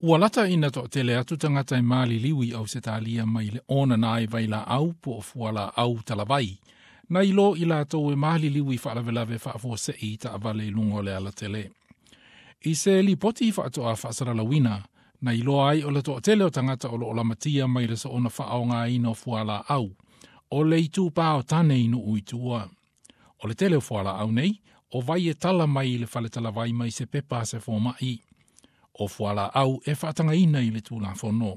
Ua lata ina toʻatele atu tagata e maliliu i Ausetalia mai le ona na i vailaau po o fualaau talavai, nai lo i latou e maliliu i faalavelave faafuasei i taavale i luga o le alatele. I se lipoti faatoa faasalalauina, na iloa ai o le toatele o tagata o loo lamatia mai le soona faaaogaina o fualaau, o le itupa o tane i nuu i tua. O le tele o fualaau nei, o vai e tala mai i le faletalavai mai se pepa a se fomai. O fualaau e faatagaina i le Tulafono.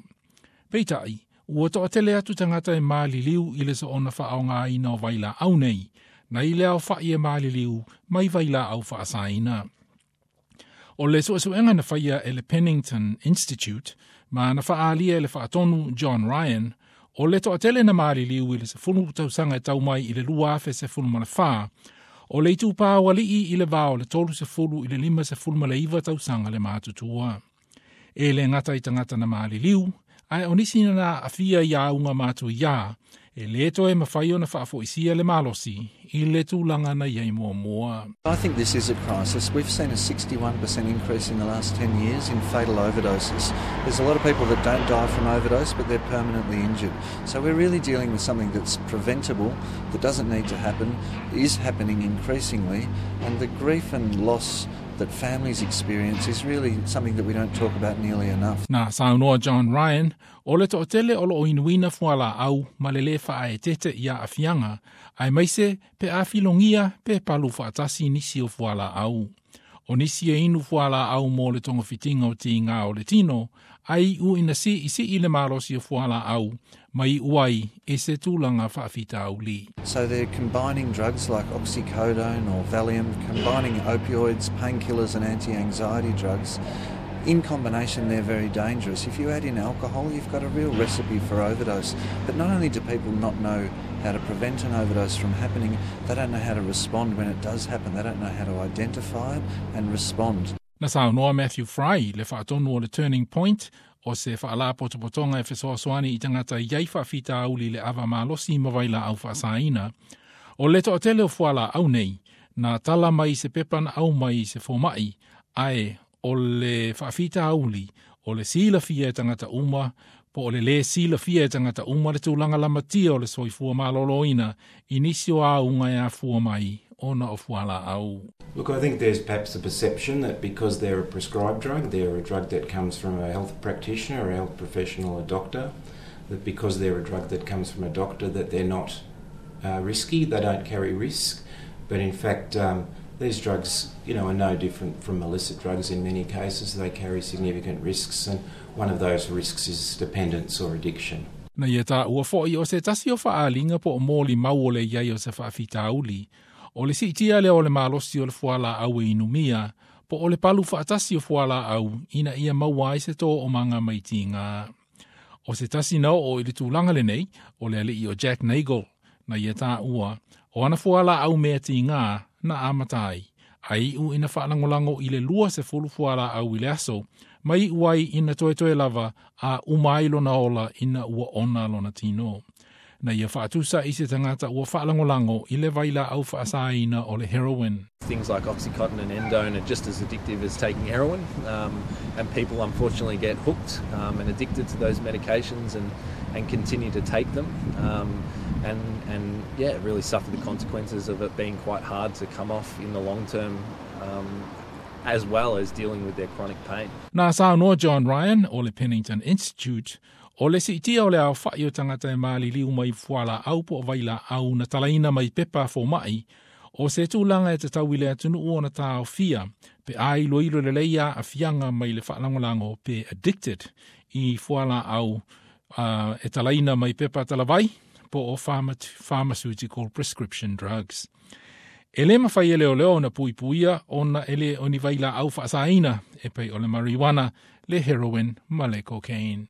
Peitai, ua toatele atu tagata e maliliu i le soona faaaogaina o vailaau nei, nai le aofai e maliliu mai vailaau faasaina. O le suesuega na faia e le Pennington Institute, ma na faaalia e le faatonu John Ryan, o le toatele na maliliu i le 10 tausaga e tau mai i le 2014, o le itupa o alii i le va o le 30 i le 59 tausaga le matutua. E le gata i tagata na maliliu, ae o nisi na aafia i auga matuia, e le toe mafai ona faafoisia le malosi i le tulaga na iai muamua. I think this is a crisis. We've seen a 61% increase in the last 10 years in fatal overdoses. There's a lot of people that don't die from overdose, but they're permanently injured. So we're really dealing with something that's preventable, that doesn't need to happen, is happening increasingly, and the grief and loss that families experience is really something that we don't talk about nearly enough. Na saunoa John Ryan, o le toatele o loo inuina fualaau ma le lē faaeteete i aafiaga, aemaise pe a filogia pe palu faatasi nisi o fualaau. O nisi e inu fualaau mo le togafitiga o tigā o le tino, ae iu ina siisii le malosi o fualaau, ma iu ai i se tulaga faafitauli. So they're combining drugs like oxycodone or Valium, combining opioids, painkillers and anti-anxiety drugs. In combination, they're very dangerous. If you add in alcohol, you've got a real recipe for overdose. But not only do people not know how to prevent an overdose from happening, they don't know how to respond when it does happen. They don't know how to identify it and respond. Na saunoa Matthew Fry, le faatonu o le Turning Point, o se faalapotopotoga e fesoasoani i tagata i ai faafitauli le ava malosi ma vailaau faasaina. O le toatele o fualaau nei, na tala mai se pepa na aumai i se fomai, ae o le faafitauli o le silafia e tagata uma, po o le lē silafia e tagata uma le tulaga lamatia o le soifua malōlōina i nisi o auga e afua mai ona o fualaau. Look, I think there's perhaps a perception that because they're a prescribed drug, they're a drug that comes from a health practitioner, a health professional, a doctor, that because they're a drug that comes from a doctor that they're not risky, they don't carry risk. But in fact, these drugs are no different from illicit drugs in many cases. They carry significant risks, and one of those risks is dependence or addiction. Na ia taua foʻi o se tasi o faaaliga po o molimau o le iai o se faafitauli, o le siitia lea o le malosi o le fualaau e inumia, po o le palu faatasi o fualaau ina ia maua ai se toomaga mai tigā. O se tasi na oo i le tulaga lenei, o le alii o Jack Nagel, na ia taua, o ana fualaau mea tigā na amata ai, ae iu ina faalagolago i le 20 fualaau i le aso, ma iu ai ina toetoe lava a uma ai lona ola ina ua ona lona tino. Na ia faatusa i se tagata ua faalagolago i le vailaau faasaina o le heroin. Things like Oxycontin and Endone are just as addictive as taking heroin, and people unfortunately get hooked and addicted to those medications and continue to take them, and yeah, really suffer the consequences of it being quite hard to come off in the long term, as well as dealing with their chronic pain. Na saunoa John Ryan o le Pennington Institute, o le siitia o le aofai o tagata e maliliu mai fualaau po o vailaau na talaina mai pepa fomai, o se tulaga e tatau i le atunuu ona taofia, pe a iloilo lelei aafiaga mai le faalagolago pe addicted i fualaau e talaina mai pepa talavai, po o pharmaceutical prescription drugs. E le mafai e leoleo ona puipuia ona e le o ni vailaau faasaina e pei o le marijuana, le heroin ma le cocaine.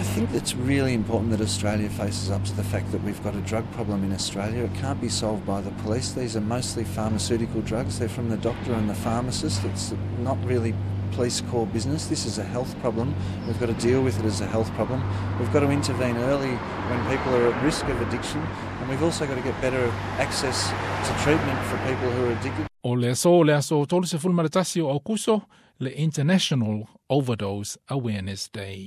I think it's really important that Australia faces up to the fact that we've got a drug problem in Australia. It can't be solved by the police. These are mostly pharmaceutical drugs. They're from the doctor and the pharmacist. It's not really police core business. This is a health problem. We've got to deal with it as a health problem. We've got to intervene early when people are at risk of addiction, and we've also got to get better access to treatment for people who are addicted. O le aso 31 o Aukuso, Le International Overdose Awareness Day.